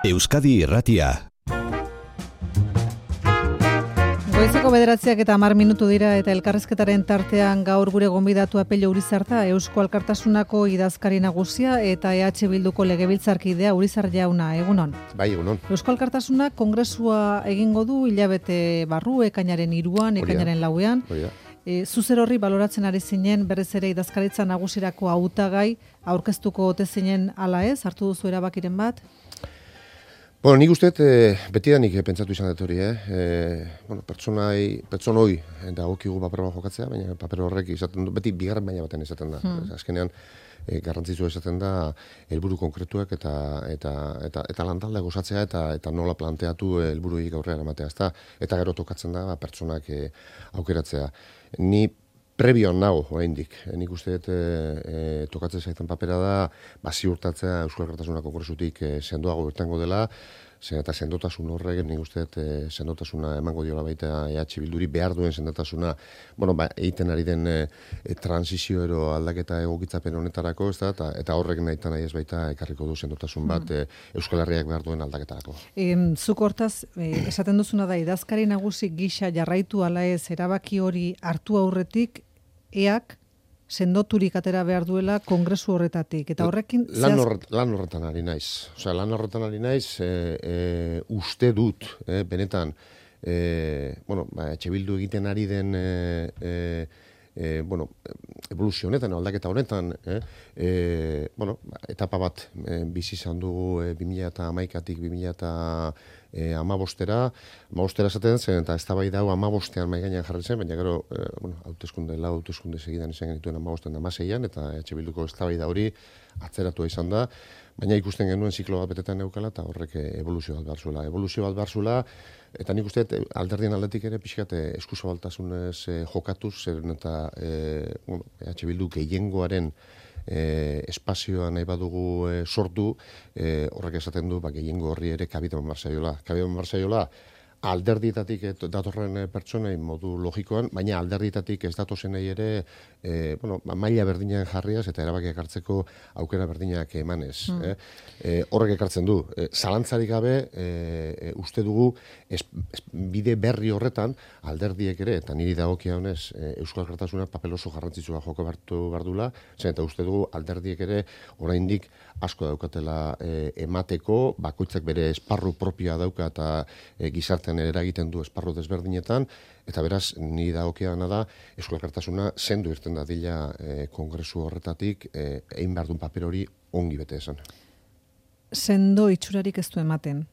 Euskadi Irratia. Goizeko 9:10 dira eta elkarrizketaren tartean gaur gure gonbidatua Pello Urizarta, Eusko Alkartasunako idazkari nagusia eta EH Bilduko legebiltzarkidea. Urizar jauna, egunon. Bai, egunon. Eusko Alkartasunak kongresua egingo du hilabete barru, ekainaren 3, ekainaren 4. Zuzer horri baloratzen ari zinen, berriz ere idazkaritza nagusirako hautagai aurkeztuko ote zinen ala ez, hartu duzu erabakiren bat? Bueno, nik uste betidanik pentsatu izan dut hori, pertsonoi dagokigu paper bat jokatzea, baina paper horrek izaten du, beti bigarren baina baten izaten da. Azkenean, garrantzitsua izaten da helburu konkretuak eta lantalde gozatzea eta nola planteatu helburuik aurrera ematea, ezta? Eta gero tokatzen da pertsonak aukeratzea. Ni prebion nago oraindik. Nik uste tokatzen zaitan papera da ziurtatzea Eusko Alkartasunako kongresutik sendoago irtengo dela, eta sendotasun horrek nik uste sendotasuna emango diola baita EH Bilduri behar duen sendotasuna, egiten ari den transizio ero aldaketa egokitzapen honetarako, eta horrek nahi ez baita ekarriko du sendotasun bat Euskal Herriak behar duen aldaketarako. Zuk hortaz, esaten duzuna da, idazkari nagusi gisa jarraitu ala ez erabaki hori hartu aurretik, eak sendoturik atera behar duela kongresu horretatik. Eta horrekin... Lan horretan ari naiz. Lan horretan ari naiz, uste dut, benetan, EH Bildu egiten ari den evoluzio honetan, aldaketa honetan, etapa bat bizi izan dugu 2011-tik 2015-era esaten zen, eta eztabaida hau 15ean mahai gainean jarri zen, baina gero, hauteskunde segidan izan genituen 15ean 16ean, eta EH Bilduko eztabaida hori atzeratua izan da, baina ikusten genuen ziklo bat betetan neukala, eta horrek evoluzio bat behar zuela, eta nik uste alderdien aldetik ere pixkat eskuzabaltasunez jokatuz, zeren eta EH Bildu gehiengoaren espazioa nahi badugu sortu, horrek esaten du gehiengo horri ere kabitan marzaiola, alderdietatik datorren pertsonei modu logikoan, baina alderdietatik ez datozenei ere maila berdinak jarriaz eta erabakiak hartzeko aukera berdinak emanez. Horrek ekartzen du. Zalantzarik gabe, uste dugu bide berri horretan alderdiek ere, eta niri dagokia honez Euskal Alkartasuna papel oso garrantzitsua joko behar dula, eta uste dugu alderdiek ere oraindik asko daukatela emateko, bakoitzak bere esparru propioa dauka eta gizartean eragiten du esparru desberdinetan, eta beraz, niri dagokiana da, Euskal Alkartasuna sendo irten dadila kongresu horretatik, egin behar duen paper hori ongi bete esan. Sendo itxurarik ez du ematen.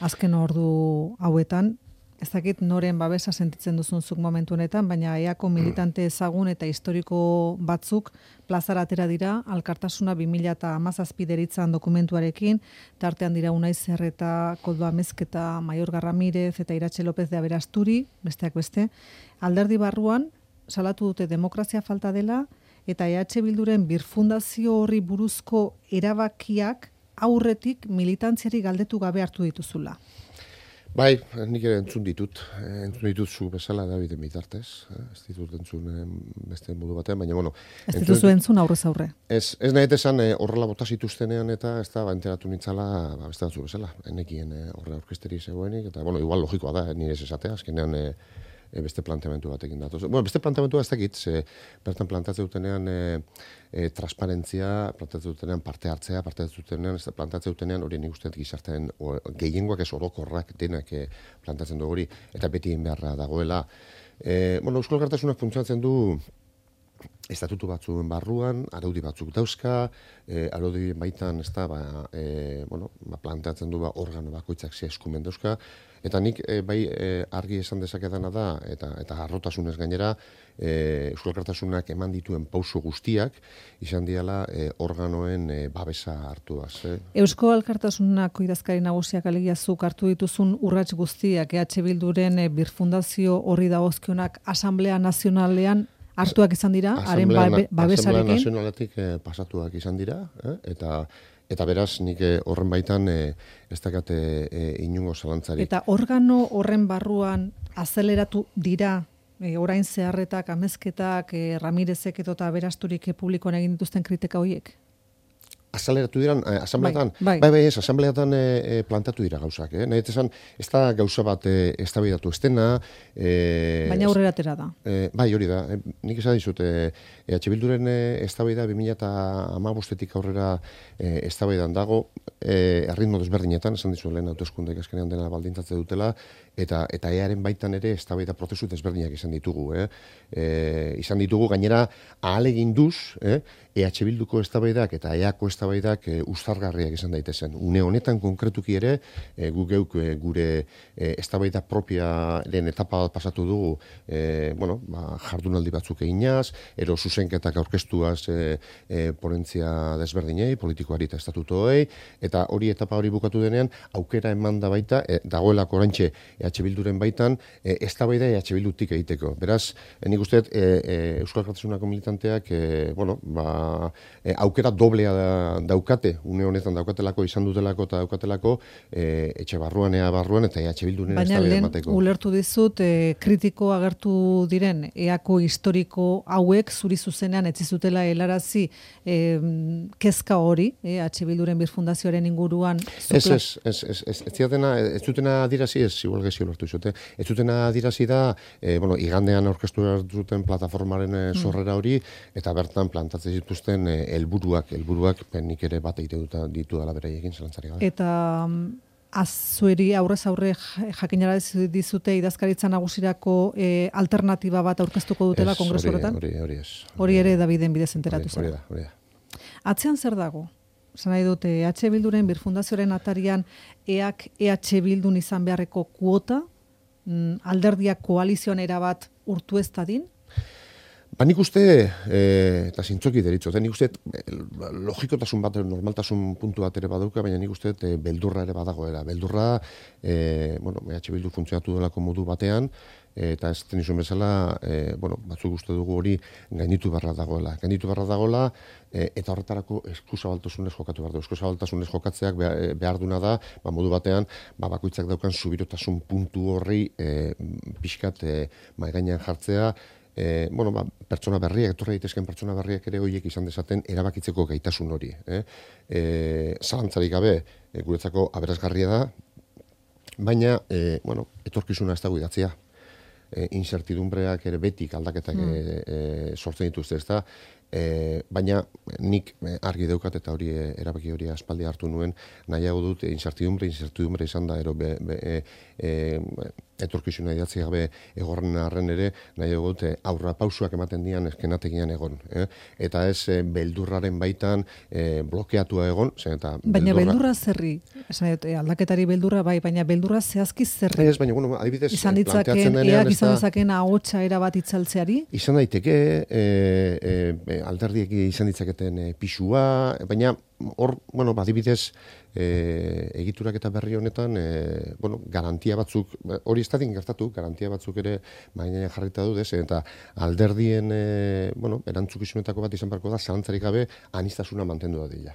Azken ordu hauetan, ez dakit noren babesa sentitzen duzun zuk momentu honetan, baina eako militante ezagun eta historiko batzuk plazara atera dira, Alkartasuna 2017 deritzan dokumentuarekin, tartean dira Unai Zerreta, Koldo Amezketa, Maiorga Ramirez eta Iratxe López de Aberasturi, besteak beste, alderdi barruan salatu dute demokrazia falta dela, eta EH Bilduren birfundazio horri buruzko erabakiak aurretik militantziari galdetu gabe hartu dituzula. Bai, nik ere entzun ditut zu bezala Daviden bitartez, ez ditut entzun beste modu batean, baina bueno... Ez dituzu entzun aurrez aurre. Ez nahi esan horrela bota zituztenean eta ez da enteratu nintzala beste batzu bezala, enekien horre aurkesteri zegoenik, eta igual logikoa da, nire ez esatea, azkenean beste planteamentu batekin datoz. Beste planteamentua ez dakit, bertan plantatzen dutenean transparentzia, plantatzen dutenean parte hartzea, plantatzen dutenean hori nik usteet gizartean gehiengoak ez orokorrak denak plantatzen du hori, eta beti beharra dagoela. Euskal Alkartasunak funtsatzen du estatutu batzuen barruan, araudi batzuk dauzka, araudi baitan planteatzen du organo bakoitzak ze eskumen dauzka, eta nik argi esan dezakedana da, eta harrotasunez gainera, Euskal Alkartasunak eman dituen pauso guztiak, izan diala organoen babesa hartuaz. Eusko Alkartasunako idazkari nagusiak alegiazuk hartu dituzun urrats guztiak, EH Bilduren birfundazio horri dagozkionak Asamblea Nazionalean hartuak izan dira, haren babesarekin. Asamblea Nazionaletik pasatuak izan dira, eta beraz nik horren baitan ez dakate inungo zalantzarik. Eta organo horren barruan azeleratu dira orain Zeharretak, Amezketak, Ramirezek eta Aberasturik publikoan egin dituzten kritika horiek? azaleratu diran, asambleatan, Bai. ez, asambleatan plantatu dira gauzak, nahi esan, ez da gauza bat eztabaidatu ez dena. Baina aurrera atera da. Bai, hori da, nik esan dizut, EH Bilduren eztabaida 2015-etik aurrera eztabaidan dago, erritmo desberdinetan, esan dizu lehen hauteskundeek azkenean dena baldintzatzen dutela, eta EAren baitan ere eztabaida prozesu desberdinak izan ditugu. Izan ditugu gainera ahaleginduz, EH Bilduko eztabaidak eta EAko eztabaidak uztargarriak izan daitezen. Une honetan konkretuki ere, geuk gure eztabaida propiaren etapa bat pasatu dugu, jardunaldi batzuk eginaz, ero zuzenketak aurkeztuaz ponentzia desberdinei, politikoari eta estatutoei, eta hori etapa hori bukatu denean, aukera eman da baita, dagoelako oraintxe EH Bilduren baitan, eztabaida EH Bildutik egiteko. Beraz, nik uste Euskal Alkartasunako militanteak, aukera doblea daukate, une honetan daukatelako, izan dutelako eta daukatelako, etxe barruan, ea barruan, eta EH Bilduren eztabaida emateko. Baina lehen ulertu dizut, kritiko agertu diren, EAko historiko hauek zuri zuzenean etzizutela helarazi kezka hori, EH Bilduren birfundazioaren inguruan. Ez zutena adirazi, ez igual gezi ulertu izute, ez zutena adirazi da, igandean aurkeztu duten plataformaren sorrera hori, eta bertan plantatzen dituzten helburuak nik ere bat egite ditu dela beraiekin zelantzari gabe. Eta zueri aurrez aurre jakinara dizute idazkaritza nagusirako alternatiba bat aurkeztuko dutela kongresu horretan? Hori ez. Hori ere Daviden bidez enteratu zen. Hori da. Atzean zer dago? Zan nahi dute, EH Bilduren birfundazioaren atarian EAk EH Bildun izan beharreko kuota, alderdiak koalizioan erabat urtu ez dadin? Nik uste, eta zintzoki deritzo, nik uste logikotasun bat, normaltasun puntu bat ere badauka, baina nik uste beldurra ere badagoela. Beldurra, EH Bildu funtzionatu delako modu batean, eta ez tenizun bezala, batzuk uste dugu hori gainitu beharra dagoela. Eta horretarako eskuzabaltasunez jokatu behar du. Eskuzabaltasunez jokatzeak behar duna da, modu batean, bakoitzak daukan subirotasun puntu horri pixkat maigainan jartzea, pertsona berriak, etorri daitezken pertsona berriak ere horiek izan dezaten erabakitzeko gaitasun hori. Zalantzarik gabe, guretzako aberasgarria da, baina, etorkizuna ez dago idatzia. Incertidumbreak ere betik aldaketak sortzen dituzte, ez da, baina nik argi daukat eta hori erabaki hori aspaldi hartu nuen, nahiago dut incertidumbre izan da, etorkizuna idatzi gabe egorren arren ere, nahiago dut aurra pausuak ematen dian eskenategian egon. Eta ez beldurraren baitan blokeatua egon. Baina beldurra zerri, aldaketari beldurra bai, baina beldurra zehazki zerri. Ez, baina, adibidez, izan ditzaken, EAk izan ditzaken ahotsa erabat itzaltzeari? Izan daiteke, alderdiek izan ditzaketen pisua, baina hor, adibidez, egiturak eta berri honetan, garantia batzuk, hori ez dadin gertatu, garantia batzuk ere mainean jarrita dut, eta alderdien, erantzukizunetako bat izan barko da, zalantzarik gabe, anistasuna mantendu da dila.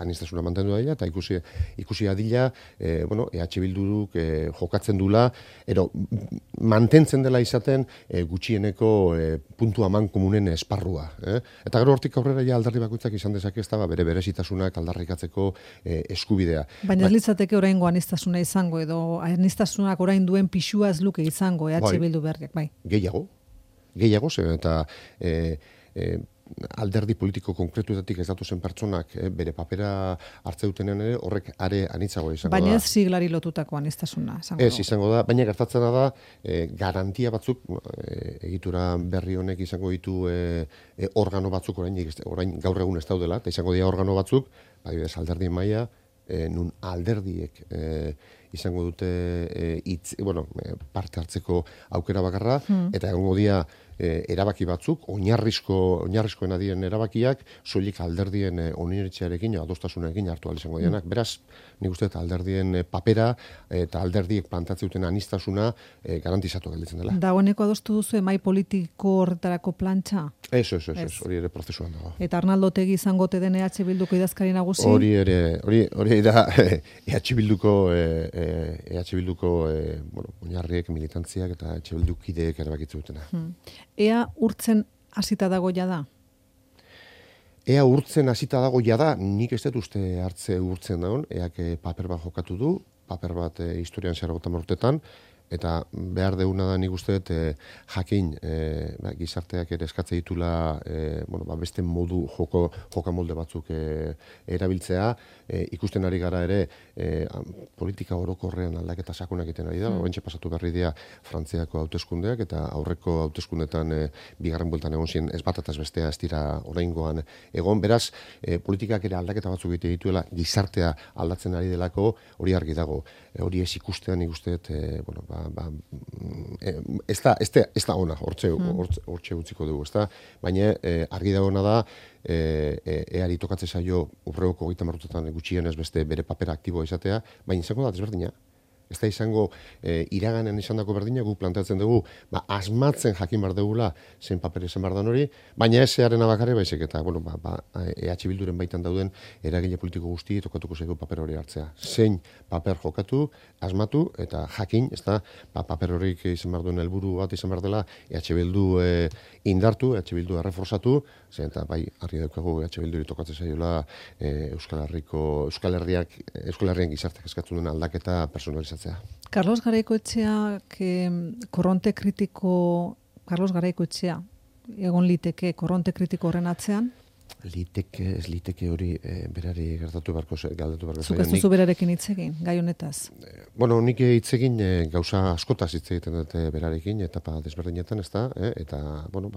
Eta ikusi adila, EH Bilduruk jokatzen dula, mantentzen dela izaten gutxieneko puntu aman komunen esparrua. Eta gero hortik aurrera alderdi bakoitzak izan dezake ez da bere berezitasunak aldarrikatzeko eskubidea. Baina ez litzateke oraingo anistasuna izango, edo anistasunak orain duen pixua ez luke izango EH Bildu berriak, bai. Gehiago, eta alderdi politiko konkretuetatik ez datu zen pertsonak bere papera hartze dutenean ere horrek are anitzagoa izango da. Baina ez siglari lotutako anistasuna. Ez izango da, baina gertatzena da garantia batzuk, egitura berri honek izango ditu organo batzuk orain gaur egun ez daudela, eta izango dira organo batzuk, adibidez alderdien maila, nun alderdiek izango dute parte hartzeko aukera bakarra, eta egongo dira erabaki batzuk, oinarrizkoen adien erabakiak, soilik alderdien oniritzearekin, adostasunarekin hartu ahal izango dianak. Beraz, nik uste alderdien papera eta alderdiek plantatzen duten anistasuna garantizatu gelditzen dela. Dagoeneko adostu duzu emai politiko horretarako plantxa? Ez, hori ere prozesuan dago. Eta Arnaldo Otegi izango te den EH Bilduko idazkari nagusi? Hori da EH Bilduko oinarriek, militantziak eta EH Bildukideek erabakitzen dutena. Ea urtzen hasita dago ja da? Ea urtzen hasita dago jada, nik ez dut uste hartze urtzen dagoen, eak paper bat jokatu du, paper bat historian zehar urtetan, eta behar deuna da nik uste dut jakin gizarteak ere eskatze ditula beste modu joka molde batzuk erabiltzea, ikusten ari gara ere politika orokorrean aldaketa sakonak egiten ari da, oraintxe pasatu berri dira Frantziako hauteskundeak eta aurreko hauteskundetan bigarren bueltan egon ziren ez bat eta ez bestea ez dira oraingoan egon, beraz politikak ere aldaketa batzuk egite dituela gizartea aldatzen ari delako hori argi dago, hori ez ikustean nik uste dut ez da ona, hortxe utziko dugu, ez da? Baina argi dagoena da, eari tokatze zaio urregoko 30 urtetan gutxienez beste bere papera aktiboa izatea, baina izango da desberdina. Ez da izango iraganen izandako berdina, guk planteatzen dugu, asmatzen jakin behar dugula zen paper izan behar dan hori, baina ez zearen abakarri baizik eta, EH Bilduren baitan dauden eragile politiko guzti tokatuko zaigu paper hori hartzea. Zein paper jokatu, asmatu eta jakin, ez da, paper horik izan behar duen helburu bat izan behar dela, EH Bildu indartu, EH Bildu erreforzatu, zen eta bai, argi daukagu EH Bilduri tokatzen zaiola Euskal Herrian gizartek eskatzen duen aldaketa personalizatzea. Carlos Garaikoetxeak Carlos Garaikoetxea egon liteke korronte kritiko horren atzean? Ez liteke hori berari galdatu beharko zaio. Zuk ez duzu berarekin hitz egin, gai honetaz? Nik hitz egin gauza askotaz hitz egiten dut berarekin, etapa desberdinetan, ez da, eta,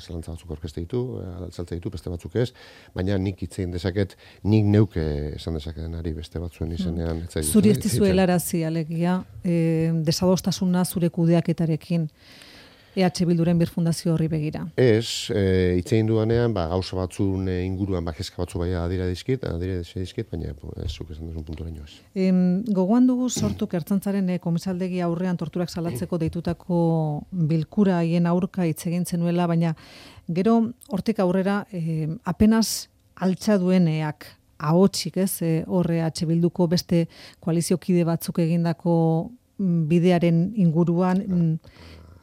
zelantza batzuk aurkezte ditu, altzaltze ditu, beste batzuk ez, baina nik hitz egin dezaket, nik neuke esan dezaketenari beste batzuen izenean. Zuri ez dizu helarazi, alegia, desadostasuna zure kudeaketarekin, EH Bilduren birfundazio horri begira. Ez, hitz egin duanean, gauza batzun inguruan kezka batzu adira dizkit, baina ez zuk esan duzun puntura ez. Gogoan dugu sortuk Ertzaintzaren komisaldegi aurrean torturak salatzeko deitutako bilkura haien aurka hitz egin zenuela, baina gero hortik aurrera apenas altxa dueneak ahotsik, ez, horre EH Bilduko beste koaliziokide batzuk egindako bidearen inguruan.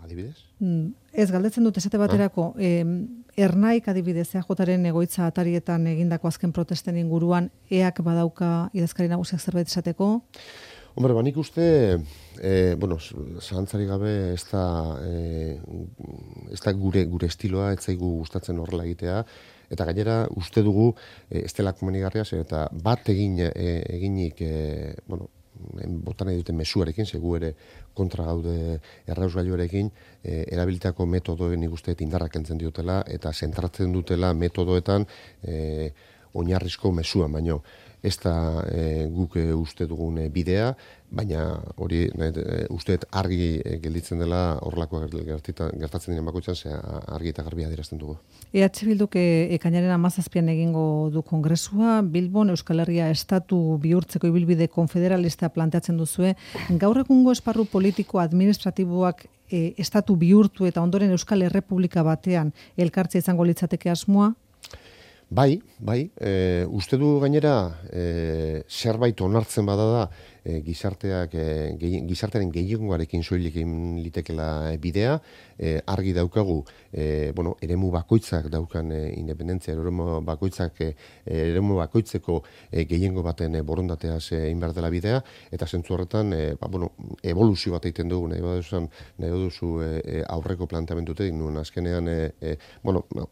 Adibidez? Ez, galdetzen dut esate baterako, Ernaik adibidez, EAJaren egoitza atarietan egindako azken protesten inguruan, EAK badauka idazkari nagusiak zerbait esateko? Nik uste, zalantzari gabe ez da gure estiloa, ez zaigu gustatzen horrela egitea, eta gainera uste dugu ez dela komenigarria, eta bat eginik, botan nahi duten mezuarekin, segu ere kontra gaude errausgailuarekin, erabilitako metodoen ikusteet indarrak entzen diotela, eta zentratzen dutela metodoetan oinarrizko mezuan, baino ez da guk uste dugun bidea, baina hori usteet argi gelditzen dela horrelako gertatzen diren bakoitzan, argi eta garbi adierazten dugu. EH Bilduk ekainaren 17an egingo du kongresua, Bilbon Euskal Herria estatu bihurtzeko ibilbide konfederalista planteatzen duzue. Gaur egungo esparru politiko administratiboak estatu bihurtu eta ondoren Euskal Errepublika batean elkartzea izango litzateke asmoa? Bai, uste du gainera zerbait onartzen bada da gizartearen gehiengoarekin soilik egin litekela bidea, argi daukagu, eremu bakoitzak daukan independentzia, eremu bakoitzeko gehiengo baten borondateaz egin behar dela bidea, eta zentzu horretan, evoluzio bat egiten dugu, nahi duzu aurreko planteamendutetik, nuen azkenean,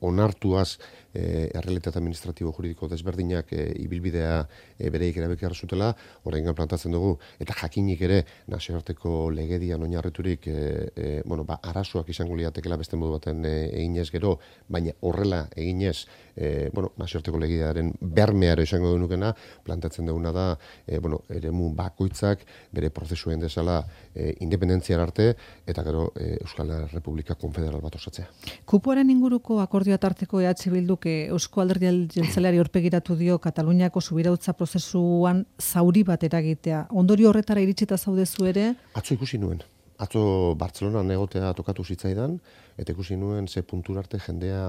onartuaz errealitate administratibo juridiko desberdinak ibilbidea bereik erabeki zutela, oraingoan plantatzen dugu, eta jakinik ere nazioarteko legedian oinarriturik arazoak izango liatekela beste modu baten eginez gero, baina horrela eginez nazioarteko legediaren bermeara izango denukena, plantatzen duguna da eremu bakoitzak bere prozesuen desala independentziar arte, eta gero Euskal Republika konfederal bat osatzea. Kupoaren inguruko akordioa tarteko EH Bilduk Eusko Alderdi Jeltzaleari aurpegiratu dio Kataluniako subirautza prozesuan zauri bat eragitea. Ondorio horretara iritsita zaudezu ere? Atzo ikusi nuen. Atzo Bartzelonan egotea tokatu zitzaidan, eta ikusi nuen ze puntura arte jendea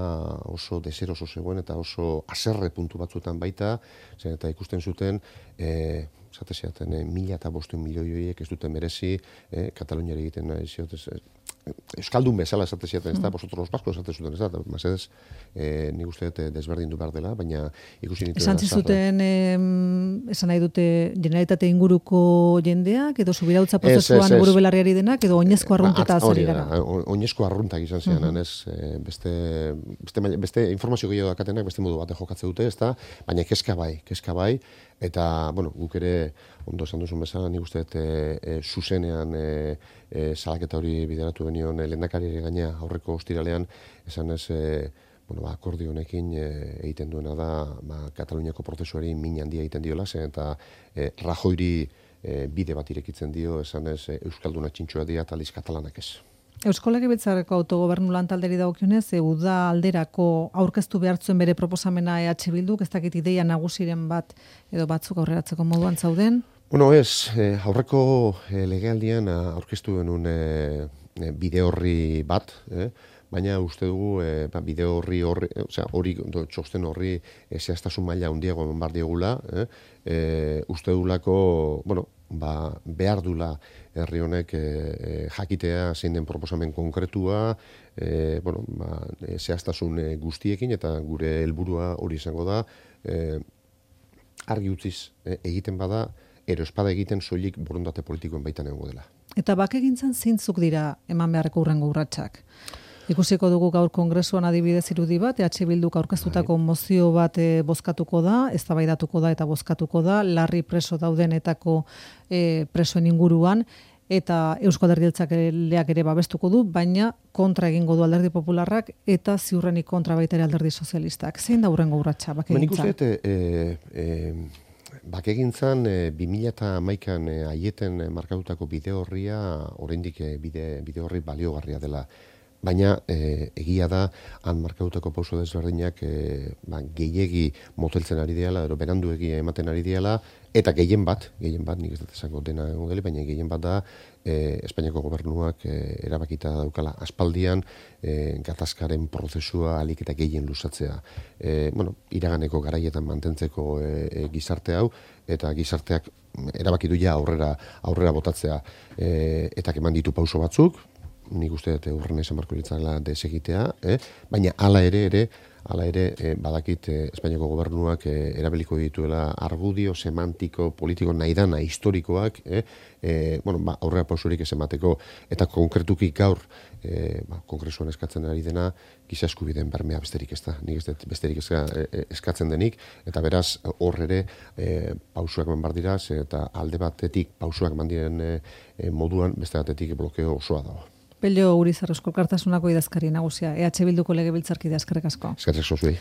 oso deseroso zegoen eta oso haserre puntu batzuetan baita, eta ikusten zuten, zate zeaten, 1.500 milioi horiek ez duten merezi, Kataluniari egiten nahi ziotez, euskaldun bezala esaten ziaten, ez da, vosotros los vascos esaten zuten, ez da, mazedez, nik uste dut desberdindu behar dela, baina ikusi nitu. Esan zizuten, esan nahi dute, generalitate inguruko jendeak, edo subirautza prozesuan buru belarriari denak, edo oinezko arrunteta azari gara. Oinezko arruntak izan ziren, ez, beste informazio gehiago dakatenak, beste modu bate jokatze dute, ez da, baina kezka bai, eta, bueno, guk ere, ondo esan duzun bezala, nik uste zuzenean salaketa hori bideratu benion lehendakariari gaina aurreko ostiralean, esan ez, akordio honekin egiten duena da, Kataluniako prozesuari min handia egiten diola, eta Rajoyri bide bat irekitzen dio, esan ez, Euskalduna txintxoa dira, eta aliz katalanak ez. Eusko Legebiltzarreko autogobernu lantalderi dagokionez, uda alderako aurkeztu behartzuen bere proposamena EH Bilduk, ez dakit ideia nagusiren bat edo batzuk aurreratzeko moduan zauden? Bueno, aurreko legealdian aurkeztu genuen bide horri bat, baina uste dugu bide horri, txosten horri zehaztasun maila handiago eman behar diogula, uste dugulako, behar dula herri honek jakitea zein den proposamen konkretua, zehaztasun guztiekin, eta gure helburua hori izango da, argi utziz egiten bada, ero espada egiten soilik borondate politikoen baitan egongo dela. Eta bakegintzan zeintzuk dira eman beharreko hurrengo urratsak? Ikusiko dugu gaur kongresuan adibidez irudi bat, EH Bilduk aurkeztutako mozio bat bozkatuko da, eztabaidatuko da eta bozkatuko da, larri preso daudenetako presoen inguruan, eta Eusko Alderdi Jeltzaleak ere babestuko du, baina kontra egingo du Alderdi Popularrak eta ziurrenik kontra baita ere Alderdi Sozialistak. Zein da hurrengo urratsa bakegintzan? Bakegintzan 2011an aieten markatutako bide horria oraindik bide horri baliogarria dela. Baina egia da han markatutako pauso desberdinak gehiegi moteltzen ari diala, edo beranduegi ematen ari diala, eta gehien bat, nik ez dut esango dena egon deli, baina gehien bat da Espainiako gobernuak erabakita daukala aspaldian gatazkaren prozesua alik eta gehien luzatzea. Iraganeko garaietan mantentzeko gizarte hau, eta gizarteak erabakitu ja aurrera botatzea, eta eman ditu pauso batzuk, nik uste dut urrena izan barko litzala desegitea, baina hala ere badakit Espainiako gobernuak erabiliko dituela argudio, semantiko, politiko, naidana, historikoak, aurrera pausurik ez emateko, eta konkretuki gaur kongresuan eskatzen ari dena, giza eskubideen bermea besterik ez da, nik ez dut besterik eskatzen denik, eta beraz hor ere pausuak eman behar dira, eta alde batetik pausuak eman diren moduan, beste batetik blokeo osoa dago. Pello Urizar Eusko Alkartasunako idazkari nagusia, EH Bilduko legebiltzarkidea, eskerrik asko. Eskerrik asko zuei.